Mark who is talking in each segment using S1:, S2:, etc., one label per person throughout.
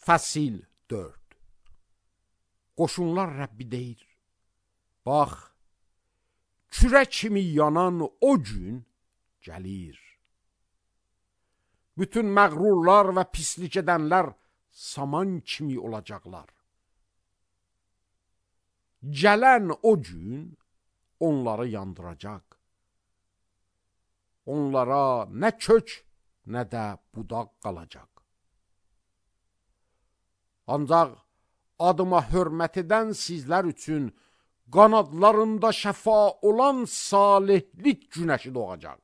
S1: Fəsil 4. Qoşunlar Rəbbi deyir, bax, kürə kimi yanan o gün gəlir. Bütün məğrurlar və pislik edənlər saman kimi olacaqlar. Gələn o gün onları yandıracaq. Onlara nə kök, nə də budaq qalacaq. Ancaq adıma hörmət edən sizlər üçün qanadlarında şəfa olan salihlik günəşi doğacaq.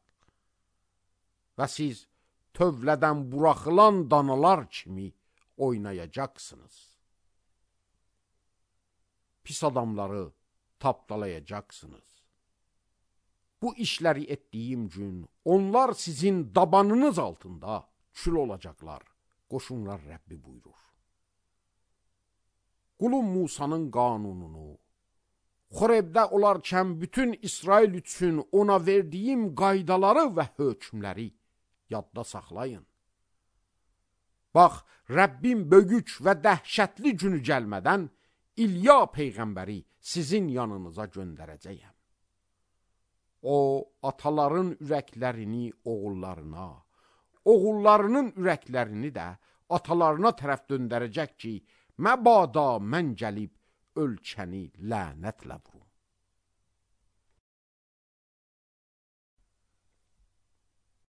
S1: Və siz tövlədən buraxılan danalar kimi oynayacaqsınız. Pis adamları tapdalayacaqsınız. Bu işləri etdiyim gün onlar sizin dabanınız altında kül olacaqlar. Qoşunlar Rəbbi buyurur. Qulum Musanın qanununu, Xorevdə olarkən bütün İsrail üçün ona verdiyim qaydaları və hökmləri yadda saxlayın. Bax, Rəbbim böyük və dəhşətli günü gəlmədən İlya peyğəmbəri sizin yanınıza göndərəcəyəm. O, ataların ürəklərini oğullarına, oğullarının ürəklərini də atalarına tərəf döndərəcək ki, məbada mən gəlib ölkəni lənətlə vurum.